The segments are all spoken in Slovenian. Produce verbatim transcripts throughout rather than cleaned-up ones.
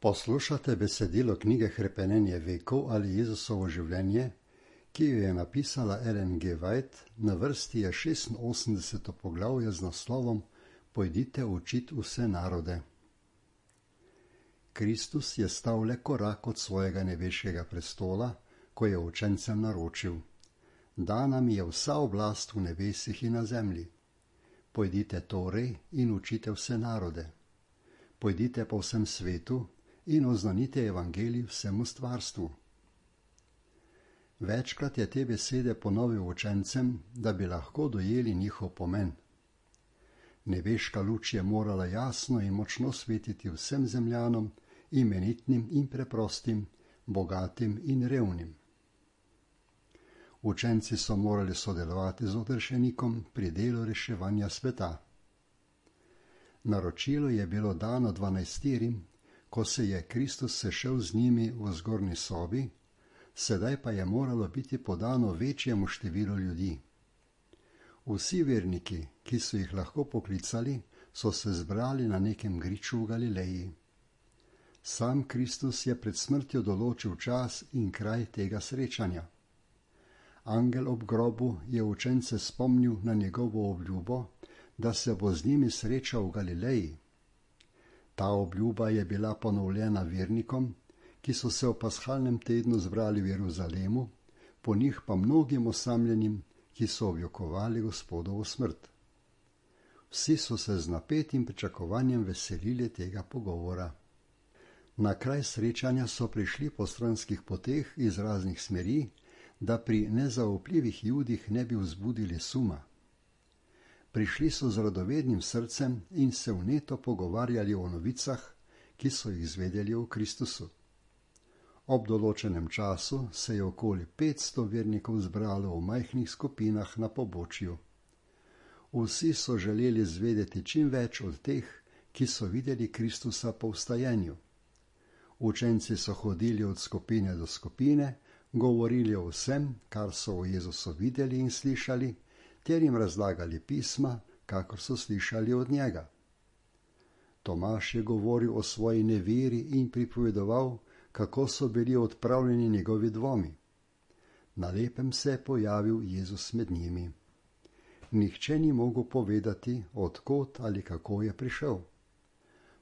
Poslušate besedilo knjige Hrepenenje vekov ali Jezusovo življenje, ki jo je napisala Ellen G. White, na vrsti je šestinosemdeseto poglavje z naslovom Pojdite učit vse narode. Kristus je stal le korak od svojega nebeškega prestola, ko je učencem naročil: Dana mi je vsa oblast v nebesih in na zemlji. Pojdite torej in učite vse narode. Pojdite po vsem svetu in oznanite evangelij vsemu stvarstvu. Večkrat je te besede ponovil učencem, da bi lahko dojeli njihov pomen. Nebeška luč je morala jasno in močno svetiti vsem zemljanom, imenitnim in preprostim, bogatim in revnim. Učenci so morali sodelovati z odrešenikom pri delu reševanja sveta. Naročilo je bilo dano dvanajsterim, ko se je Kristus sešel z njimi v zgornji sobi, sedaj pa je moralo biti podano večjemu številu ljudi. Vsi verniki, ki so jih lahko poklicali, so se zbrali na nekem griču v Galileji. Sam Kristus je pred smrtjo določil čas in kraj tega srečanja. Angel ob grobu je učence spomnil na njegovo obljubo, da se bo z njimi srečal v Galileji. Ta obljuba je bila ponovljena vernikom, ki so se v pashalnem tednu zbrali v Jeruzalemu, po njih pa mnogim osamljenim, ki so objokovali Gospodovo smrt. Vsi so se z napetim pričakovanjem veselili tega pogovora. Na kraj srečanja so prišli po stranskih poteh iz raznih smeri, da pri nezaupljivih Judih ne bi vzbudili suma. Prišli so z radovednim srcem in se vneto pogovarjali o novicah, ki so jih izvedeli o Kristusu. Ob določenem času se je okoli petsto vernikov zbralo v majhnih skupinah na pobočju. Vsi so želeli zvedeti čim več od teh, ki so videli Kristusa po vstajenju. Učenci so hodili od skupine do skupine, govorili o vsem, kar so o Jezusu videli in slišali, ter jim razlagali pisma, kakor so slišali od njega. Tomaž je govoril o svoji neveri in pripovedoval, kako so bili odpravljeni njegovi dvomi. Na lepem se je pojavil Jezus med njimi. Nihče ni mogel povedati, od kod ali kako je prišel.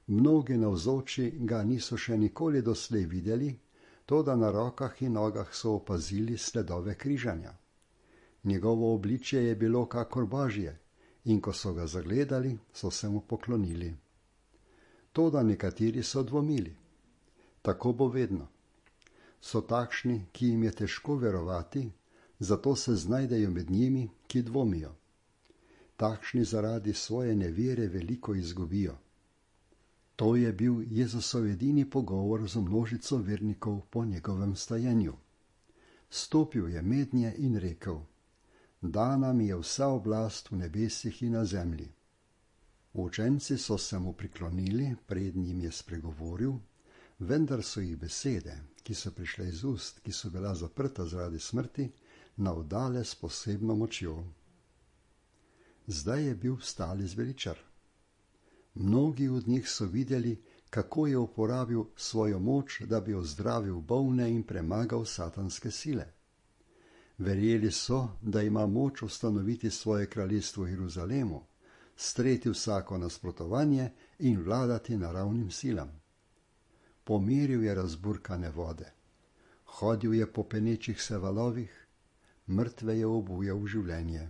Mnogi navzoči ga niso še nikoli doslej videli, toda na rokah in nogah so opazili sledove križanja. Njegovo obličje je bilo kakor Božje, in ko so ga zagledali, so se mu poklonili. Toda nekateri so dvomili. Tako bo vedno. So takšni, ki jim je težko verovati, zato se znajdejo med njimi, ki dvomijo. Takšni zaradi svoje nevere veliko izgubijo. To je bil Jezusov edini pogovor z množico vernikov po njegovem stajenju. Stopil je mednje in rekel: Dana mi je vsa oblast v nebesih in na zemlji. Učenci so se mu priklonili, pred njim je spregovoril, vendar so jih besede, ki so prišle iz ust, ki so bila zaprta zaradi smrti, navdale s posebno močjo. Zdaj je bil vstali zveličar. Mnogi od njih so videli, kako je uporabil svojo moč, da bi ozdravil bolne in premagal satanske sile. Verjeli so, da ima moč ustanoviti svoje kraljestvo v Jeruzalemu, streti vsako nasprotovanje in vladati naravnim silam. Pomiril je razburkane vode. Hodil je po penečih se valovih, mrtve je obujal v življenje.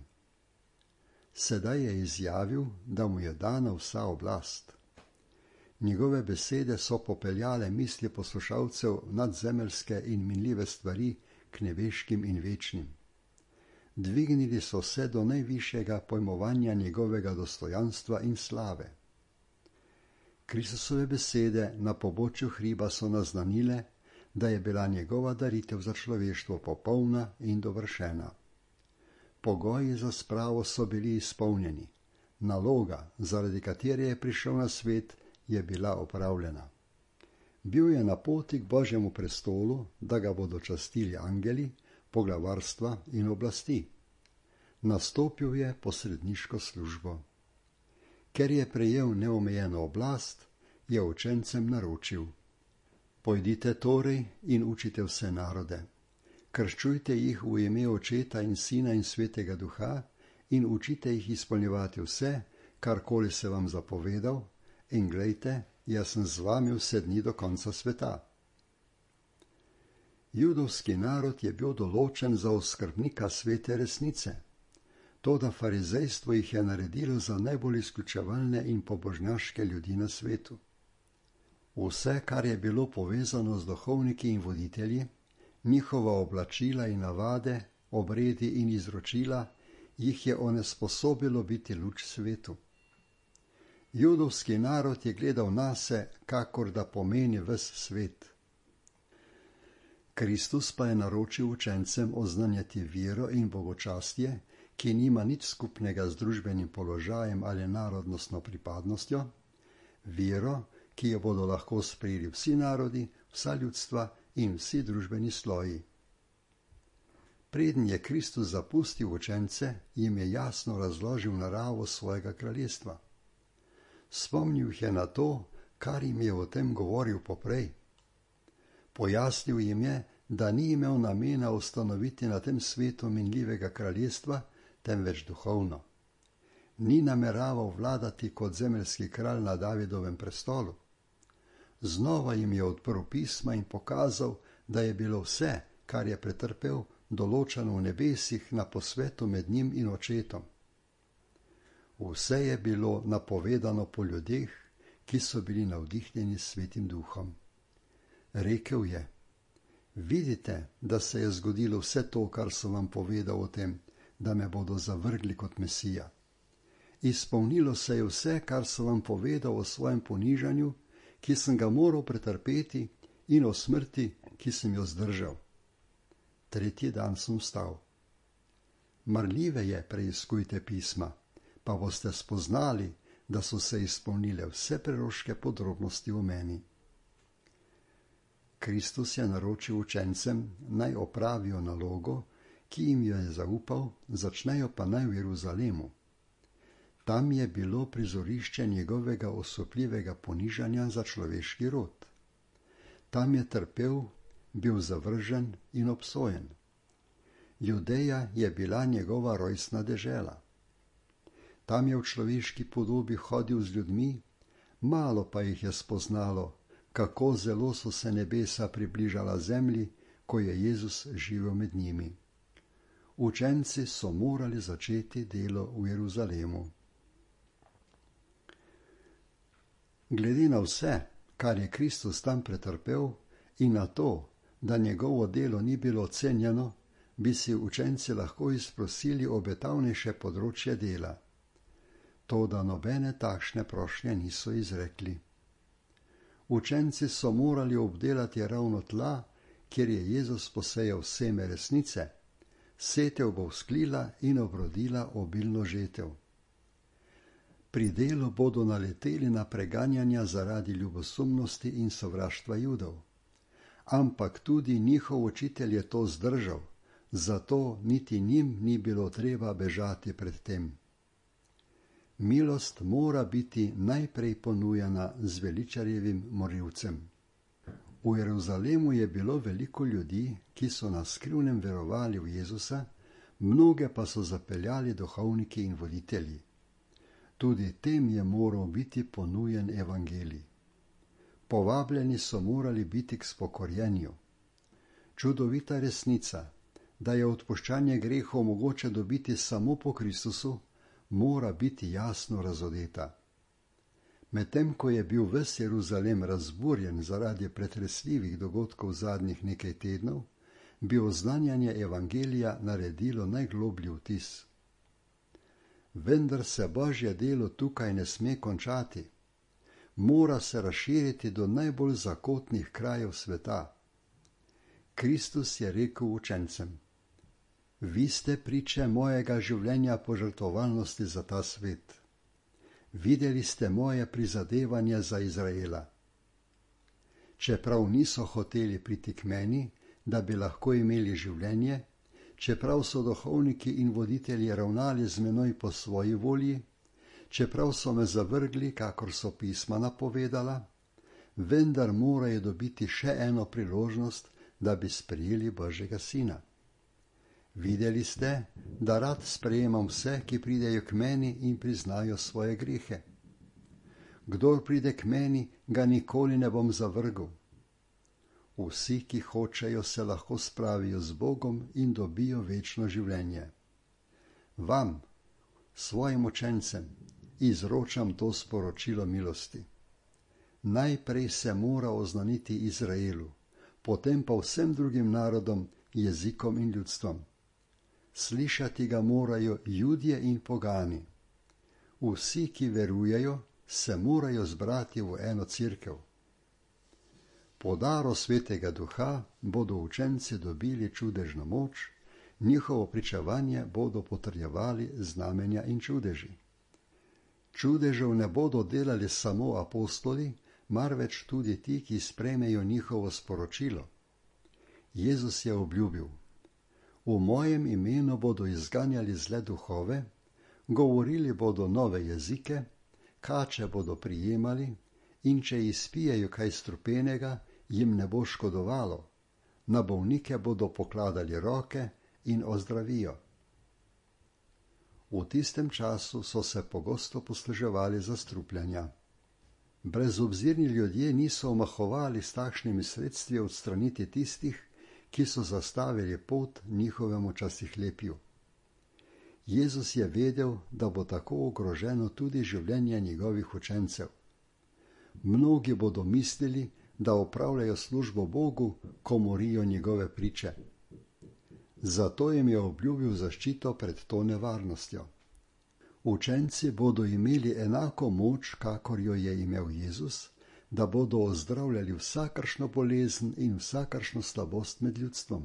Sedaj je izjavil, da mu je dana vsa oblast. Njegove besede so popeljale misli poslušalcev nadzemeljske in minljive stvari k nebeškim in večnim. Dvignili so se do najvišjega pojmovanja njegovega dostojanstva in slave. Kristusove besede na pobočju hriba so naznanile, da je bila njegova daritev za človeštvo popolna in dovršena. Pogoji za spravo so bili izpolnjeni. Naloga, zaradi katere je prišel na svet, je bila opravljena. Bil je na poti k Božjemu prestolu, da ga bodo častili angeli, poglavarstva in oblasti. Nastopil je posredniško službo. Ker je prejel neomejeno oblast, je učencem naročil: Pojdite torej in učite vse narode. Krščujte jih v ime Očeta in Sina in Svetega Duha in učite jih izpolnjevati vse, karkoli se vam zapovedal, in glejte, jaz sem z vami vse dni do konca sveta. Judovski narod je bil določen za oskrbnika svete resnice. Toda farizejstvo jih je naredilo za najbolj izključevalne in pobožnjaške ljudi na svetu. Vse, kar je bilo povezano z duhovniki in voditelji, njihova oblačila in navade, obredi in izročila, jih je onesposobilo biti luč svetu. Judovski narod je gledal nase, kakor da pomeni ves svet. Kristus pa je naročil učencem oznanjati vero in bogočastje, ki nima nič skupnega z družbenim položajem ali narodnostno pripadnostjo, vero, ki jo bodo lahko sprejeli vsi narodi, vsa ljudstva in vsi družbeni sloji. Preden je Kristus zapustil učence, jim je jasno razložil naravo svojega kraljestva. Spomnil jih je na to, kar jim je o tem govoril poprej. Pojasnil jim je, da ni imel namena ustanoviti na tem svetu minljivega kraljestva, temveč duhovno. Ni nameraval vladati kot zemeljski kralj na Davidovem prestolu. Znova jim je odprl pisma in pokazal, da je bilo vse, kar je pretrpel, določeno v nebesih na posvetu med njim in Očetom. Vse je bilo napovedano po ljudeh, ki so bili navdihnjeni s Svetim Duhom. Rekel je: vidite, da se je zgodilo vse to, kar sem vam povedal o tem, da me bodo zavrgli kot Mesija. Izpolnilo se je vse, kar sem vam povedal o svojem ponižanju, ki sem ga moral pretrpeti, in o smrti, ki sem jo zdržal. Tretji dan sem vstal. Marljive je preiskujte pisma, pa boste spoznali, da so se izpolnile vse preroške podrobnosti o meni. Kristus je naročil učencem, naj opravijo nalogo, ki jim jo je zaupal, začnejo pa naj v Jeruzalemu. Tam je bilo prizorišče njegovega osupljivega ponižanja za človeški rod. Tam je trpel, bil zavržen in obsojen. Judeja je bila njegova rojstna dežela. Tam je v človeški podobi hodil z ljudmi, malo pa jih je spoznalo, kako zelo so se nebesa približala zemlji, ko je Jezus živel med njimi. Učenci so morali začeti delo v Jeruzalemu. Glede na vse, kar je Kristus tam pretrpel, in na to, da njegovo delo ni bilo cenjeno, bi si učenci lahko izprosili obetavnejše področje dela. Toda nobene takšne prošnje niso izrekli. Učenci so morali obdelati ravno tla, kjer je Jezus posejal seme resnice, setev bo vzklila in obrodila obilno žetev. Pri delu bodo naleteli na preganjanja zaradi ljubosumnosti in sovraštva Judov. Ampak tudi njihov učitelj je to zdržal, zato niti njim ni bilo treba bežati pred tem. Milost mora biti najprej ponujena z veličarjevim morilcem. V Jeruzalemu je bilo veliko ljudi, ki so na skrivnem verovali v Jezusa, mnoge pa so zapeljali duhovniki in voditelji. Tudi tem je moral biti ponujen evangelij. Povabljeni so morali biti k spokorjenju. Čudovita resnica, da je odpuščanje grehov mogoče dobiti samo po Kristusu, mora biti jasno razodeta. Medtem ko je bil ves Jeruzalem razburjen zaradi pretresljivih dogodkov zadnjih nekaj tednov, bi oznanjanje evangelija naredilo najgloblji vtis. Vendar se Božje delo tukaj ne sme končati. Mora se razširiti do najbolj zakotnih krajev sveta. Kristus je rekel učencem: vi ste priče mojega življenja požrtvovalnosti za ta svet. Videli ste moje prizadevanje za Izraela. Čeprav niso hoteli priti k meni, da bi lahko imeli življenje, čeprav so duhovniki in voditelji ravnali z menoj po svoji volji, čeprav so me zavrgli, kakor so pisma napovedala, vendar morajo dobiti še eno priložnost, da bi sprejeli Božjega sina. Videli ste, da rad sprejemam vse, ki pridejo k meni in priznajo svoje grehe. Kdor pride k meni, ga nikoli ne bom zavrgel. Vsi, ki hočejo, se lahko spravijo z Bogom in dobijo večno življenje. Vam, svojim učencem, izročam to sporočilo milosti. Najprej se mora oznaniti Izraelu, potem pa vsem drugim narodom, jezikom in ljudstvom. Slišati ga morajo Judje in pogani. Vsi, ki verujejo, se morajo zbrati v eno cerkev. Po daru Svetega Duha bodo učenci dobili čudežno moč, njihovo pričevanje bodo potrjevali znamenja in čudeži. Čudežev ne bodo delali samo apostoli, marveč tudi ti, ki sprejmejo njihovo sporočilo. Jezus je obljubil: v mojem imenu bodo izganjali zle duhove, govorili bodo nove jezike, kače bodo prijemali in če izpijejo kaj strupenega, jim ne bo škodovalo, na bolnike bodo pokladali roke in ozdravijo. V tistem času so se pogosto posluževali zastrupljanja. Brezobzirni ljudje niso omahovali s takšnimi sredstvi odstraniti tistih, ki so zastavili pot njihovemu častihlepju. Jezus je vedel, da bo tako ogroženo tudi življenje njegovih učencev. Mnogi bodo mislili, da opravljajo službo Bogu, ko morijo njegove priče. Zato jim je obljubil zaščito pred to nevarnostjo. Učenci bodo imeli enako moč, kakor jo je imel Jezus, da bodo ozdravljali vsakršno bolezen in vsakršno slabost med ljudstvom.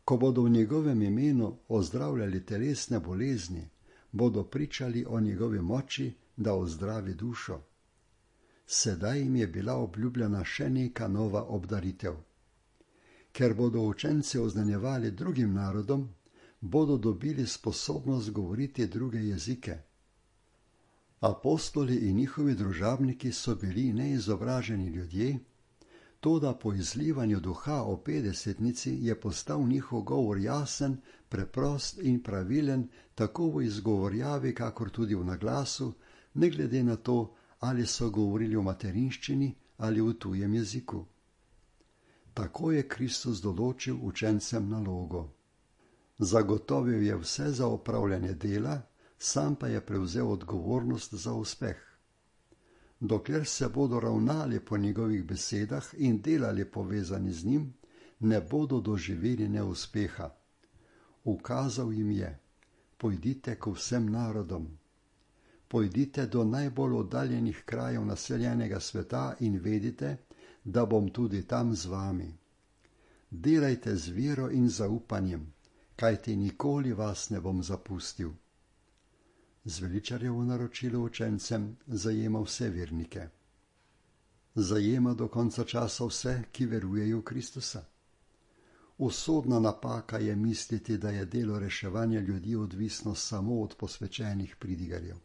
Ko bodo v njegovem imenu ozdravljali telesne bolezni, bodo pričali o njegovi moči, da ozdravi dušo. Sedaj jim je bila obljubljena še neka nova obdaritev. Ker bodo učenci oznanjevali drugim narodom, bodo dobili sposobnost govoriti druge jezike. Apostoli in njihovi družabniki so bili neizobraženi ljudje, toda po izlivanju duha o petdesetnici je postal njihov govor jasen, preprost in pravilen, tako v izgovorjavi, kakor tudi v naglasu, ne glede na to, ali so govorili v materinščini ali v tujem jeziku. Tako je Kristus določil učencem nalogo. Zagotovil je vse za opravljanje dela, sam pa je prevzel odgovornost za uspeh. Dokler se bodo ravnali po njegovih besedah in delali povezani z njim, ne bodo doživeli neuspeha. Ukazal jim je: pojdite k vsem narodom. Pojdite do najbolj oddaljenih krajev naseljenega sveta in vedite, da bom tudi tam z vami. Delajte z vero in zaupanjem, kajti nikoli vas ne bom zapustil. Zveličarjevo naročilo učencem zajema vse vernike. Zajema do konca časa vse, ki verujejo v Kristusa. Usodna napaka je misliti, da je delo reševanja ljudi odvisno samo od posvečenih pridigarjev.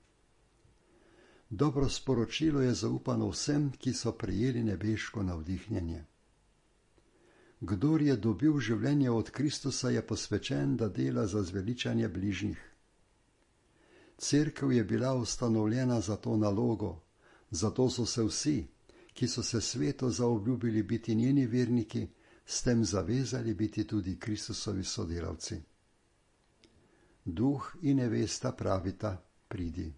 Dobro sporočilo je zaupano vsem, ki so prejeli nebeško navdihnjenje. Kdor je dobil življenje od Kristusa, je posvečen, da dela za zveličanje bližnjih. Cerkev je bila ustanovljena za to nalogo, zato so se vsi, ki so se svetu zaobljubili biti njeni verniki, s tem zavezali biti tudi Kristusovi sodelavci. Duh in nevesta pravita: pridi.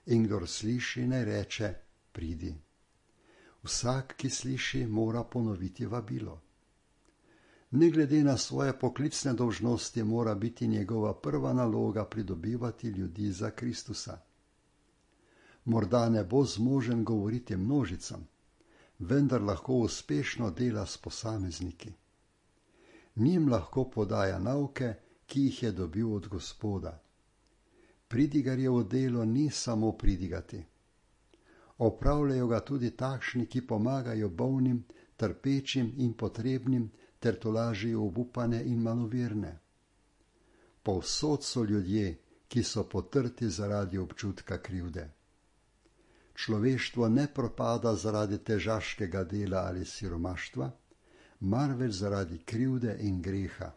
In kdor sliši, naj reče: pridi. Vsak, ki sliši, mora ponoviti vabilo. Ne glede na svoje poklicne dolžnosti, mora biti njegova prva naloga pridobivati ljudi za Kristusa. Morda ne bo zmožen govoriti množicam, vendar lahko uspešno dela s posamezniki. Njim lahko podaja nauke, ki jih je dobil od Gospoda. Pridigarjevo delo ni samo pridigati. Opravljajo ga tudi takšni, ki pomagajo bolnim, trpečim in potrebnim, ter tolažijo obupane in maloverne. Povsod so ljudje, ki so potrti zaradi občutka krivde. Človeštvo ne propada zaradi težaškega dela ali siromaštva, marveč zaradi krivde in greha.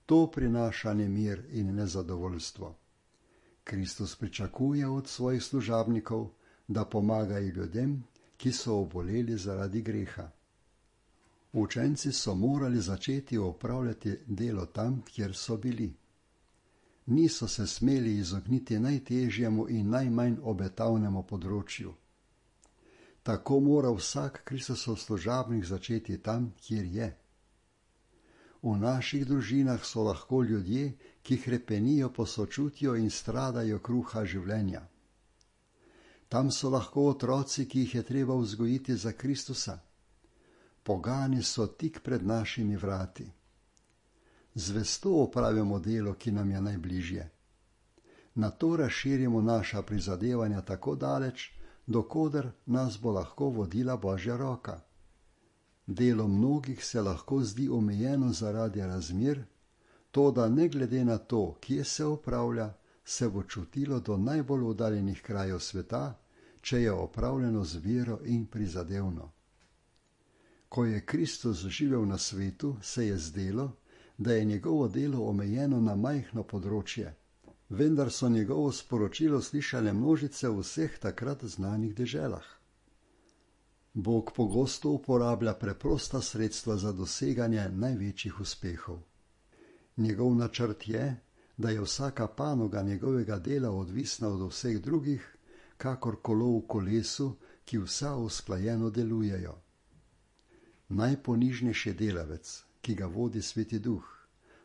To prinaša nemir in nezadovoljstvo. Kristus pričakuje od svojih služabnikov, da pomagajo ljudem, ki so oboleli zaradi greha. Učenci so morali začeti opravljati delo tam, kjer so bili. Niso se smeli izogniti najtežjemu in najmanj obetavnemu področju. Tako mora vsak Kristusov služabnik začeti tam, kjer je. V naših družinah so lahko ljudje, ki hrepenijo po sočutju in stradajo kruha življenja. Tam so lahko otroci, ki jih je treba vzgojiti za Kristusa. Pogani so tik pred našimi vrati. Zvesto opravimo delo, ki nam je najbližje. Na to razširimo naša prizadevanja tako daleč, dokoder nas bo lahko vodila Božja roka. Delo mnogih se lahko zdi omejeno zaradi razmer, toda ne glede na to, kje se opravlja, se bo čutilo do najbolj oddaljenih krajev sveta, če je opravljeno z vero in prizadevno. Ko je Kristus živel na svetu, se je zdelo, da je njegovo delo omejeno na majhno področje, vendar so njegovo sporočilo slišale množice v vseh takrat znanih deželah. Bog pogosto uporablja preprosta sredstva za doseganje največjih uspehov. Njegov načrt je, da je vsaka panoga njegovega dela odvisna od vseh drugih, kakor kolo v kolesu, ki vsa usklajeno delujejo. Najponižnejši delavec, ki ga vodi Sveti Duh,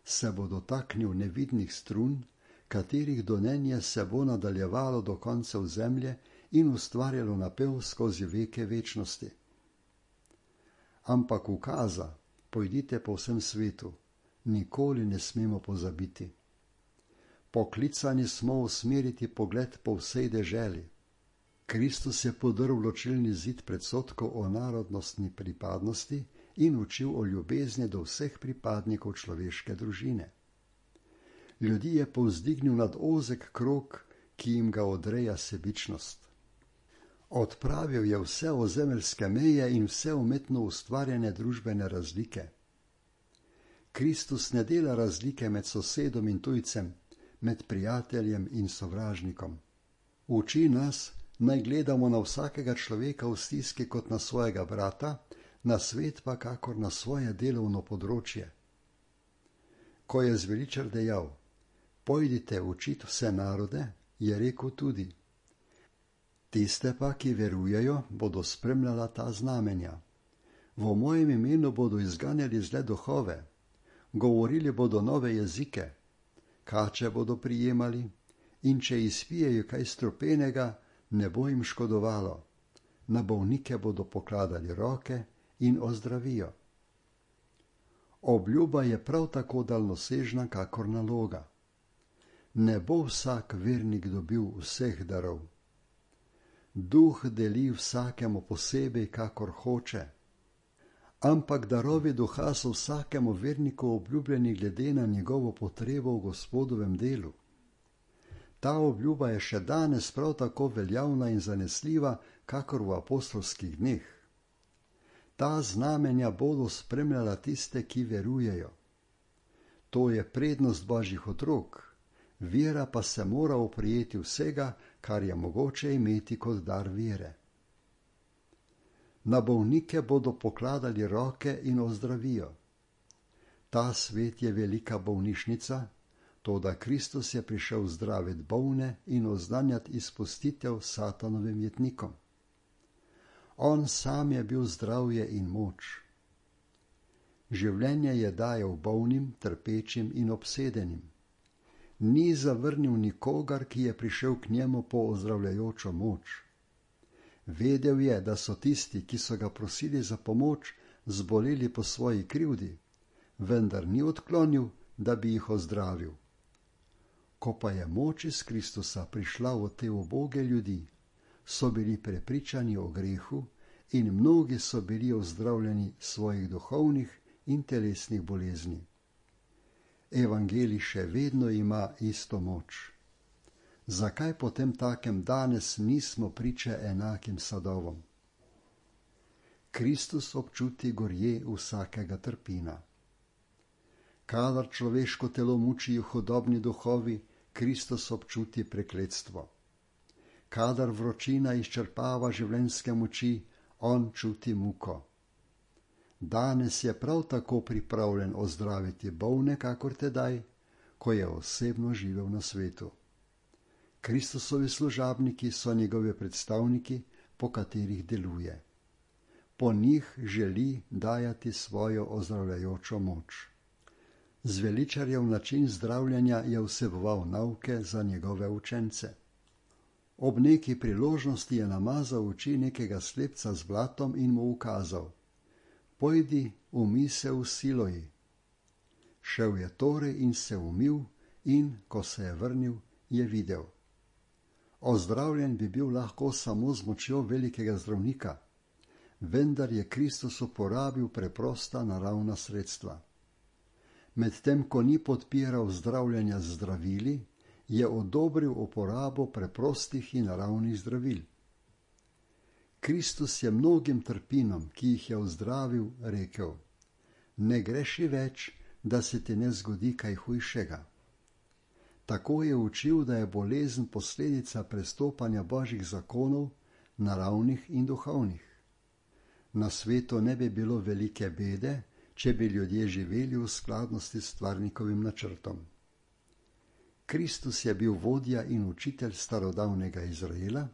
se bo dotaknil nevidnih strun, katerih donenje se bo nadaljevalo do koncev zemlje in ustvarjalo napev skozi veke večnosti. Ampak ukaza, pojdite po vsem svetu, nikoli ne smemo pozabiti. Poklicani smo usmeriti pogled po vsej deželi. Kristus je podrl ločilni zid predsodkov o narodnostni pripadnosti in učil o ljubezni do vseh pripadnikov človeške družine. Ljudi je povzdignil nad ozek krog, ki jim ga odreja sebičnost. Odpravil je vse ozemeljske meje in vse umetno ustvarjene družbene razlike. Kristus ne dela razlike med sosedom in tujcem, med prijateljem in sovražnikom. Uči nas, naj gledamo na vsakega človeka v stiski kot na svojega brata, na svet pa kakor na svoje delovno področje. Ko je zveličar dejal, pojdite učit vse narode, je rekel tudi, tiste pa, ki verujejo, bodo spremljala ta znamenja. V mojem imenu bodo izganjali zle duhove, govorili bodo nove jezike, kače bodo prijemali in če izpijejo kaj strupenega, ne bo jim škodovalo. Na bolnike bodo pokladali roke in ozdravijo. Obljuba je prav tako daljnosežna kakor naloga. Ne bo vsak vernik dobil vseh darov. Duh deli vsakemu posebej, kakor hoče, ampak darovi duha so vsakemu verniku obljubljeni glede na njegovo potrebo v Gospodovem delu. Ta obljuba je še danes prav tako veljavna in zanesljiva, kakor v apostolskih dneh. Ta znamenja bodo spremljala tiste, ki verujejo. To je prednost Božjih otrok, vera pa se mora oprijeti vsega, kar je mogoče imeti kot dar vere. Na bolnike bodo pokladali roke in ozdravijo. Ta svet je velika bolnišnica, toda Kristus je prišel zdraviti bolne in oznanjati izpustitev satanovim jetnikom. On sam je bil zdravje in moč. Življenje je dajal bolnim, trpečim in obsedenim. Ni zavrnil nikogar, ki je prišel k njemu po ozdravljajočo moč. Vedel je, da so tisti, ki so ga prosili za pomoč, zboleli po svoji krivdi, vendar ni odklonil, da bi jih ozdravil. Ko pa je moč iz Kristusa prišla v te uboge ljudi, so bili prepričani o grehu in mnogi so bili ozdravljeni svojih duhovnih in telesnih bolezni. Evangelij še vedno ima isto moč. Zakaj potem takem danes nismo priče enakim sadovom? Kristus občuti gorje vsakega trpina. Kadar človeško telo mučijo hudobni duhovi, Kristus občuti prekletstvo. Kadar vročina izčrpava življenjske moči, on čuti muko. Danes je prav tako pripravljen ozdraviti bolne, kakor tedaj, ko je osebno živel na svetu. Kristusovi služabniki so njegovi predstavniki, po katerih deluje. Po njih želi dajati svojo ozdravljajočo moč. Zveličarjev način zdravljenja je vseboval nauke za njegove učence. Ob neki priložnosti je namazal oči nekega slepca z blatom in mu ukazal: pojdi, umij se v Siloji. Šel je torej in se umil in, ko se je vrnil, je videl. Ozdravljen bi bil lahko samo z močjo velikega zdravnika, vendar je Kristus uporabil preprosta naravna sredstva. Medtem ko ni podpiral zdravljenja z zdravili, je odobril uporabo preprostih in naravnih zdravil. Kristus je mnogim trpinom, ki jih je ozdravil, rekel: ne greši več, da se ti ne zgodi kaj hujšega. Tako je učil, da je bolezen posledica prestopanja Božjih zakonov, naravnih in duhovnih. Na svetu ne bi bilo velike bede, če bi ljudje živeli v skladnosti s stvarnikovim načrtom. Kristus je bil vodja in učitelj starodavnega Izraela,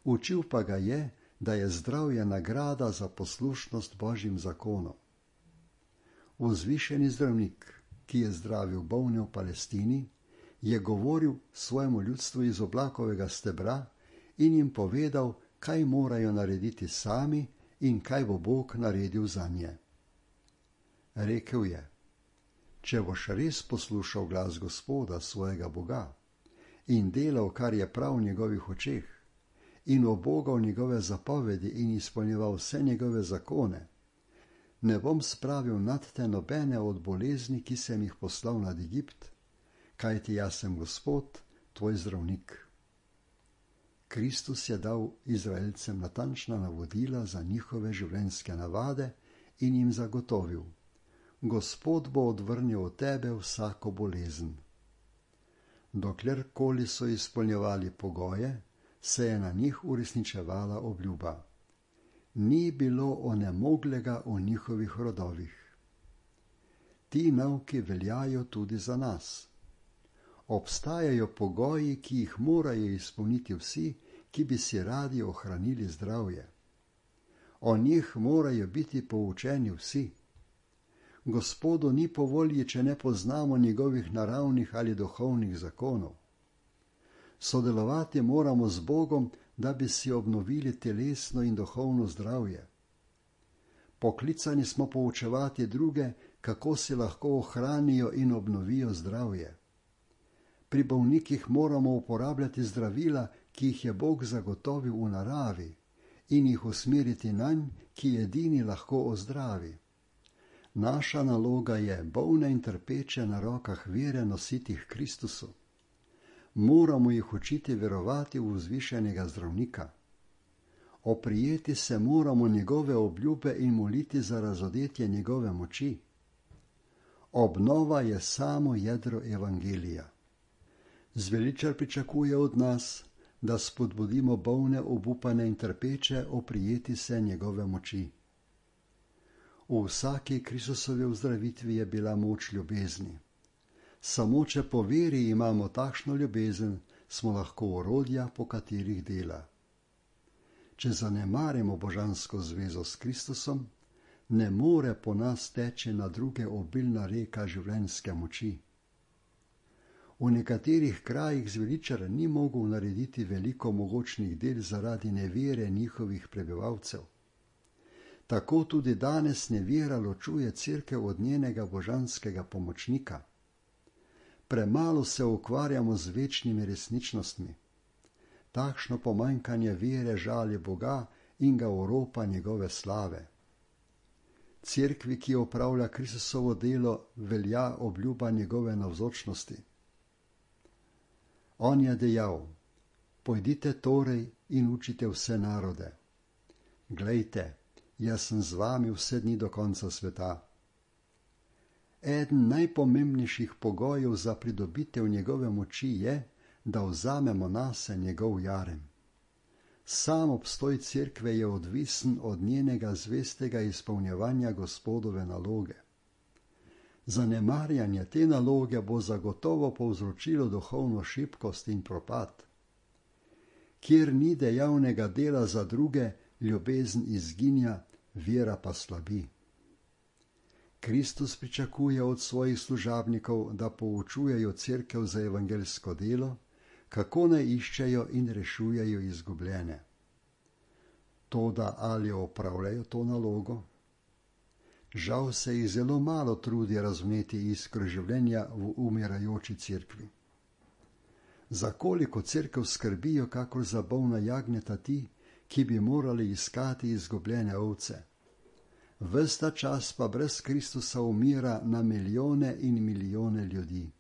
učil pa ga je, da je zdravje nagrada za poslušnost Božjim zakonom. Vzvišeni zdravnik, ki je zdravil bolne v Palestini, je govoril svojemu ljudstvu iz oblakovega stebra in jim povedal, kaj morajo narediti sami in kaj bo Bog naredil zanje. Rekel je: če boš res poslušal glas Gospoda, svojega Boga, in delal, kar je prav v njegovih očeh, in obogal njegove zapovedi in izpolnjeval vse njegove zakone, ne bom spravil nad te nobene od bolezni, ki sem jih poslal nad Egipt, kajti jaz sem Gospod, tvoj zdravnik. Kristus je dal Izraelcem natančna navodila za njihove življenjske navade in jim zagotovil: Gospod bo odvrnil od tebe vsako bolezen. Doklerkoli so izpolnjevali pogoje, se je na njih uresničevala obljuba. Ni bilo onemoglega v njihovih rodovih. Ti nauki veljajo tudi za nas. Obstajajo pogoji, ki jih morajo izpolniti vsi, ki bi si radi ohranili zdravje. O njih morajo biti poučeni vsi. Gospodu ni po volji, če ne poznamo njegovih naravnih ali duhovnih zakonov. Sodelovati moramo z Bogom, da bi si obnovili telesno in duhovno zdravje. Poklicani smo poučevati druge, kako si lahko ohranijo in obnovijo zdravje. Pri bolnikih moramo uporabljati zdravila, ki jih je Bog zagotovil v naravi, in jih usmeriti nanj, ki edini lahko ozdravi. Naša naloga je bolne in trpeče na rokah vere nositi k Kristusu. Moramo jih učiti verovati v vzvišenega zdravnika. Oprijeti se moramo njegove obljube in moliti za razodetje njegove moči. Obnova je samo jedro evangelija. Zveličar pričakuje od nas, da spodbudimo bolne, obupane in trpeče oprijeti se njegove moči. V vsaki Kristusovi ozdravitvi je bila moč ljubezni. Samo če po veri imamo takšno ljubezen, smo lahko orodja, po katerih dela. Če zanemarimo božansko zvezo s Kristusom, ne more po nas teči na druge obilna reka življenjske moči. V nekaterih krajih zveličar ni mogel narediti veliko mogočnih del zaradi nevere njihovih prebivalcev. Tako tudi danes nevera ločuje cerkev od njenega božanskega pomočnika. Premalo se ukvarjamo z večnimi resničnostmi. Takšno pomanjkanje vere žali Boga in ga oropa njegove slave. Cerkvi, ki opravlja Kristusovo delo, velja obljuba njegove navzočnosti. On je dejal: Pojdite torej in učite vse narode. Glejte, jaz sem z vami vse dni do konca sveta. Eden najpomembnejših pogojev za pridobitev njegove moči je, da vzamemo nase njegov jarem. Sam obstoj cerkve je odvisen od njenega zvestega izpolnjevanja Gospodove naloge. Zanemarjanje te naloge bo zagotovo povzročilo duhovno šibkost in propad. Kjer ni dejavnega dela za druge, ljubezen izginja, vera pa slabi. Kristus pričakuje od svojih služabnikov, da poučujejo cerkev za evangeljsko delo, kako naj iščejo in rešujejo izgubljene. Toda ali opravljajo to nalogo? Žal se jih zelo malo trudi razvneti iskro življenja v umirajoči cerkvi. Za koliko cerkev skrbijo kakor za bolna jagnjeta ti, ki bi morali iskati izgubljene ovce? Ves ta čas pa brez Kristusa umira na milijone in milijone ljudi.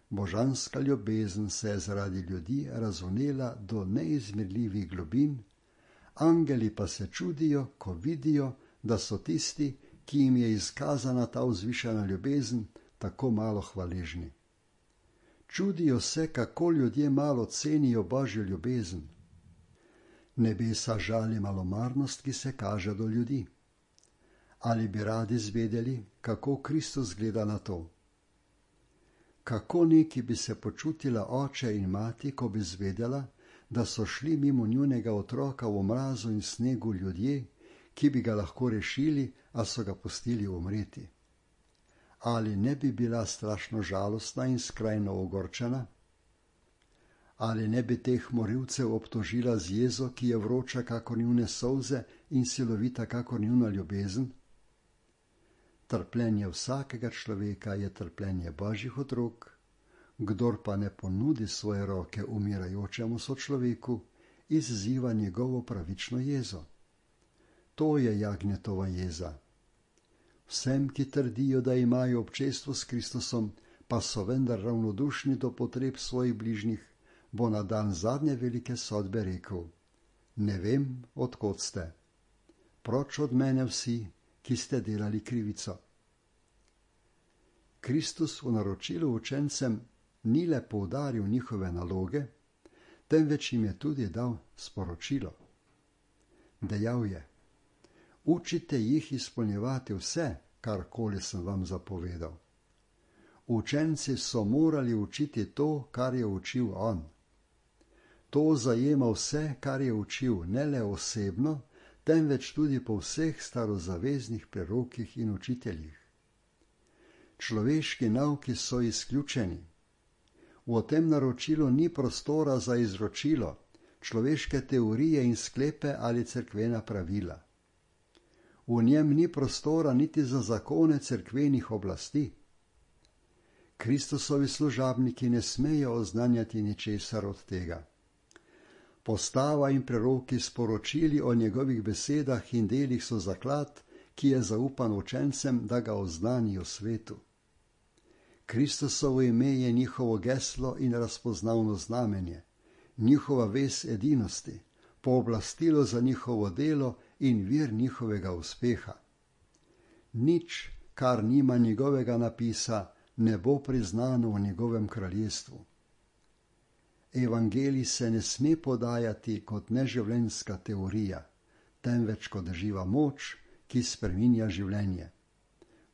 Božanska ljubezen se je zaradi ljudi razvnela do neizmerljivih globin, angeli pa se čudijo, ko vidijo, da so tisti, ki jim je izkazana ta vzvišena ljubezen, tako malo hvaležni. Čudijo se, kako ljudje malo cenijo Božjo ljubezen. Nebesa žali malomarnost, ki se kaže do ljudi. Ali bi radi zvedeli, kako Kristus gleda na to? Kako neki bi se počutila oče in mati, ko bi zvedela, da so šli mimo njunega otroka v mrazu in snegu ljudje, ki bi ga lahko rešili, a so ga pustili umreti? Ali ne bi bila strašno žalostna in skrajno ogorčena? Ali ne bi teh morilcev obtožila z jezo, ki je vroča kakor njune solze in silovita kakor njuna ljubezen? Trpljenje vsakega človeka je trpljenje Božjih otrok, kdor pa ne ponudi svoje roke umirajočemu sočloveku, izziva njegovo pravično jezo. To je jagnjetova jeza. Vsem, ki trdijo, da imajo občestvo s Kristusom, pa so vendar ravnodušni do potreb svojih bližnjih, bo na dan zadnje velike sodbe rekel: Ne vem, od kod ste. Proč od mene vsi, ki ste delali krivico. Kristus v naročilu učencem ni le poudaril njihove naloge, temveč jim je tudi dal sporočilo. Dejal je: Učite jih izpolnjevati vse, karkoli sem vam zapovedal. Učenci so morali učiti to, kar je učil on. To zajema vse, kar je učil, ne le osebno, temveč tudi po vseh starozaveznih prerokih in učiteljih. Človeški nauki so izključeni. V tem naročilu ni prostora za izročilo, človeške teorije in sklepe ali cerkvena pravila. V njem ni prostora niti za zakone cerkvenih oblasti. Kristusovi služabniki ne smejo oznanjati ničesar od tega. Postava in preroki sporočili o njegovih besedah in delih so zaklad, ki je zaupan učencem, da ga oznanijo svetu. Kristusovo ime je njihovo geslo in razpoznavno znamenje, njihova vez edinosti, pooblastilo za njihovo delo in vir njihovega uspeha. Nič, kar nima njegovega napisa, ne bo priznano v njegovem kraljestvu. Evangelij se ne sme podajati kot neživljenjska teorija, temveč kot živa moč, ki spreminja življenje.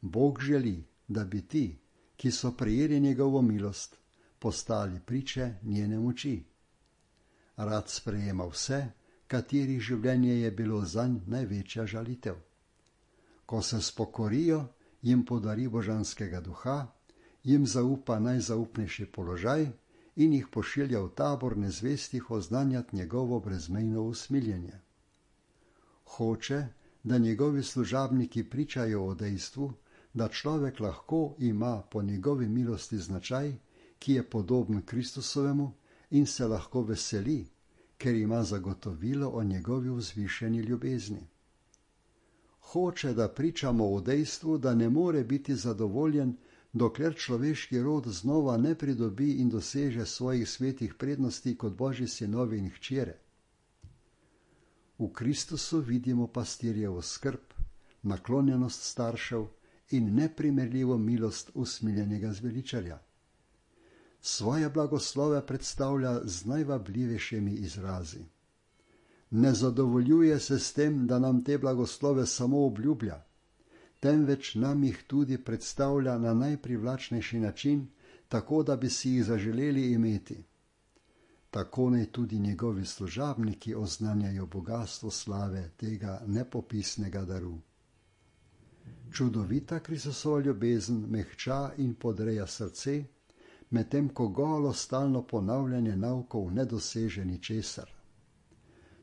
Bog želi, da bi ti, ki so prejeli njegovo milost, postali priče njene moči. Rad sprejema vse, katerih življenje je bilo zanj največja žalitev. Ko se spokorijo, jim podari božanskega duha, jim zaupa najzaupnejši položaj in jih pošilja v tabor nezvestih oznanjati njegovo brezmejno usmiljenje. Hoče, da njegovi služabniki pričajo o dejstvu, da človek lahko ima po njegovi milosti značaj, ki je podoben Kristusovemu in se lahko veseli, ker ima zagotovilo o njegovi vzvišeni ljubezni. Hoče, da pričamo o dejstvu, da ne more biti zadovoljen, dokler človeški rod znova ne pridobi in doseže svojih svetih prednosti kot Božji sinovi in hčere. V Kristusu vidimo pastirjevo skrb, naklonjenost staršev in neprimerljivo milost usmiljenega zveličarja. Svoje blagoslove predstavlja z najvabljivejšimi izrazi. Ne zadovoljuje se s tem, da nam te blagoslove samo obljublja, temveč nam jih tudi predstavlja na najprivlačnejši način, tako da bi si jih zaželeli imeti. Tako naj tudi njegovi služabniki oznanjajo bogastvo slave tega nepopisnega daru. Čudovita Kristusova ljubezen mehča in podreja srce, medtem ko golo stalno ponavljanje naukov ne doseže ničesar.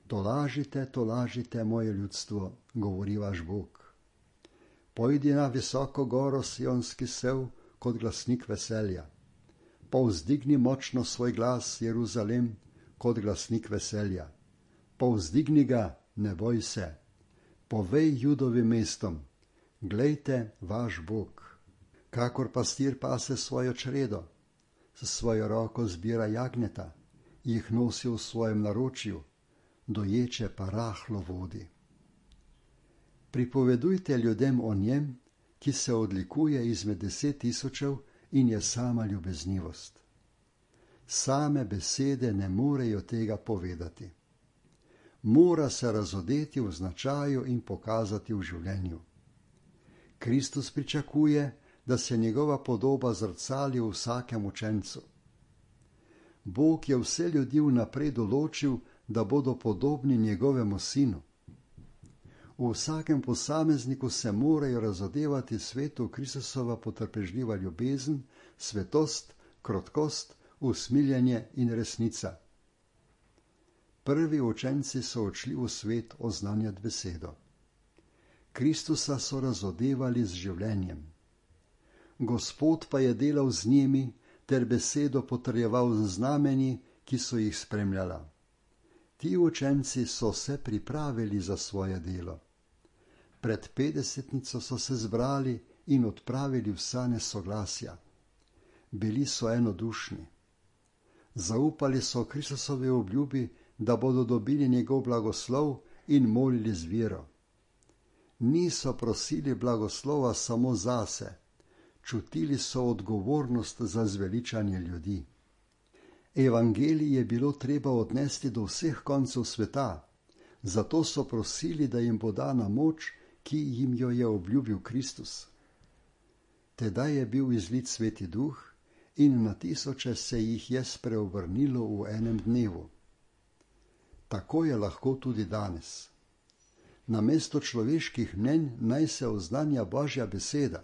Tolažite, tolažite, moje ljudstvo, govori vaš Bog. Pojdi na visoko goro sionski sev kot glasnik veselja. Povzdigni močno svoj glas, Jeruzalem, kot glasnik veselja. Povzdigni ga, ne boj se. Povej Judovim mestom, glejte vaš Bog. Kakor pastir pase svojo čredo, s svojo roko zbira jagnjeta, jih nosi v svojem naročju, doječe pa rahlo vodi. Pripovedujte ljudem o njem, ki se odlikuje izmed deset tisočev in je sama ljubeznivost. Same besede ne morejo tega povedati. Mora se razodeti v značaju in pokazati v življenju. Kristus pričakuje, da se njegova podoba zrcali v vsakem učencu. Bog je vse ljudi vnaprej določil, da bodo podobni njegovemu sinu. V vsakem posamezniku se morajo razodevati svetu Kristusova potrpežljiva ljubezen, svetost, krotkost, usmiljenje in resnica. Prvi učenci so odšli v svet oznanjati besedo. Kristusa so razodevali z življenjem. Gospod pa je delal z njimi ter besedo potrjeval z znamenji, ki so jih spremljala. Ti učenci so se pripravili za svoje delo. Pred petdesetnico so se zbrali in odpravili vsa nesoglasja. Bili so enodušni. Zaupali so Kristusovi obljubi, da bodo dobili njegov blagoslov in molili z vero. Niso prosili blagoslova samo zase, čutili so odgovornost za zveličanje ljudi. Evangelij je bilo treba odnesti do vseh koncev sveta, zato so prosili, da jim bo dana moč, ki jim jo je obljubil Kristus. Tedaj je bil izlit Sveti Duh in na tisoče se jih je spreobrnilo v enem dnevu. Tako je lahko tudi danes. Namesto človeških mnenj naj se oznanja Božja beseda.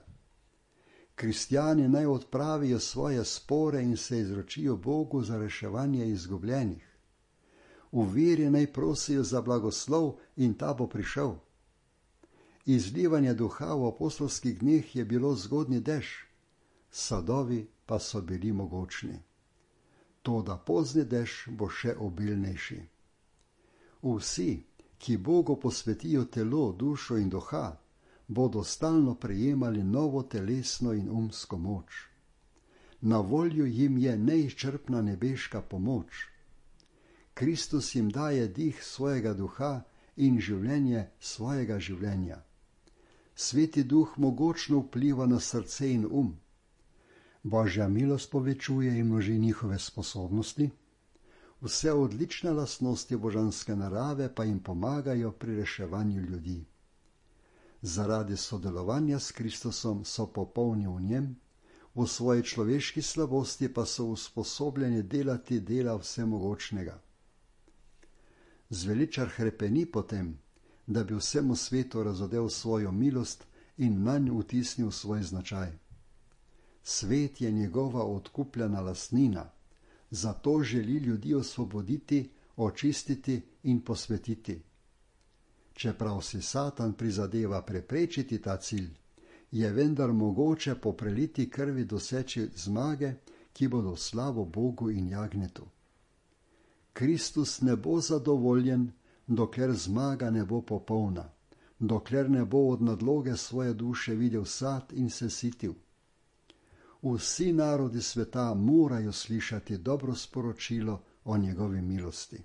Kristjani naj odpravijo svoje spore in se izročijo Bogu za reševanje izgubljenih. V veri naj prosijo za blagoslov in ta bo prišel. Izlivanje duha v apostolskih dneh je bilo zgodnji dež, sadovi pa so bili mogočni. Toda pozni dež bo še obilnejši. Vsi, ki Bogu posvetijo telo, dušo in duha, bodo stalno prejemali novo telesno in umsko moč. Na voljo jim je neizčrpna nebeška pomoč. Kristus jim daje dih svojega duha in življenje svojega življenja. Sveti Duh mogočno vpliva na srce in um. Božja milost povečuje in množi njihove sposobnosti. Vse odlične lastnosti božanske narave pa jim pomagajo pri reševanju ljudi. Zaradi sodelovanja s Kristusom so popolni v njem, v svoji človeški slabosti pa so usposobljeni delati dela vsemogočnega. Zveličar hrepeni potem, da bi vsemu svetu razodel svojo milost in nanj vtisnil svoj značaj. Svet je njegova odkupljena lastnina, zato želi ljudi osvoboditi, očistiti in posvetiti. Čeprav si Satan prizadeva preprečiti ta cilj, je vendar mogoče po preliti krvi doseči zmage, ki bodo slavo Bogu in jagnjetu. Kristus ne bo zadovoljen, dokler zmaga ne bo popolna, dokler ne bo od nadloge svoje duše videl sad in se sitil. Vsi narodi sveta morajo slišati dobro sporočilo o njegovi milosti.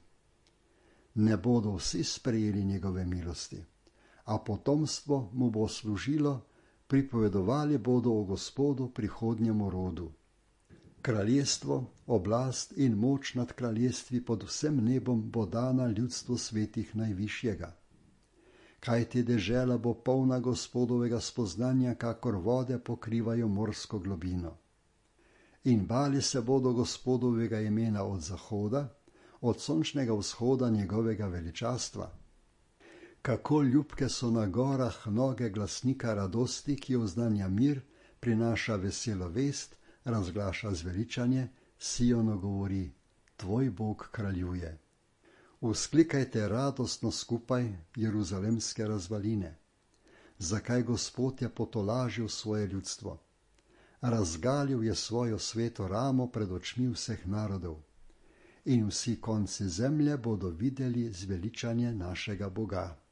Ne bodo vsi sprejeli njegove milosti, a potomstvo mu bo služilo, pripovedovali bodo o Gospodu prihodnjemu rodu. Kraljestvo, oblast in moč nad kraljestvi pod vsem nebom bo dana ljudstvu svetih najvišjega. Kajti dežela bo polna Gospodovega spoznanja, kakor vode pokrivajo morsko globino. In bali se bodo Gospodovega imena od zahoda, od sončnega vzhoda njegovega veličastva. Kako ljubke so na gorah noge glasnika radosti, ki oznanja mir, prinaša veselo vest, razglaša zveličanje, Sionu govori, tvoj Bog kraljuje. Vzklikajte radostno skupaj, jeruzalemske razvaline. Zakaj Gospod je potolažil svoje ljudstvo? Razgalil je svojo sveto ramo pred očmi vseh narodov. In vsi konci zemlje bodo videli zveličanje našega Boga.